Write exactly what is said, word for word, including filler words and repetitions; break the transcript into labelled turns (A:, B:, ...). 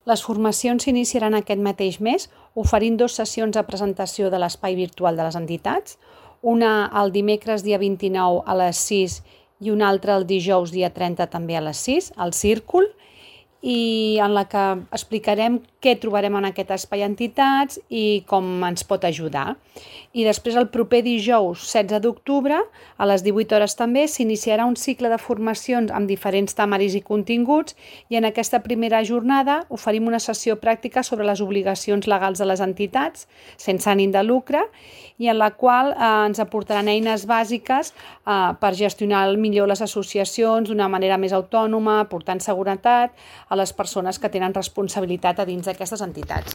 A: Les formacions s'iniciaran aquest mateix mes, oferint dues sessions de presentació de l'espai virtual de les entitats, una el dimecres dia vint-i-nou a les sis i una altra el dijous dia trenta també a les sis, al Círcul, i en la que explicarem què trobarem en aquest espai entitats i com ens pot ajudar. I després el proper dijous setze d'octubre a les divuit hores també s'iniciarà un cicle de formacions amb diferents temaris i continguts i en aquesta primera jornada oferim una sessió pràctica sobre les obligacions legals de les entitats sense ànim de lucre i en la qual eh, ens aportaran eines bàsiques eh, per gestionar millor les associacions d'una manera més autònoma, portant seguretat a les persones que tenen responsabilitat a dins d'aquestes entitats.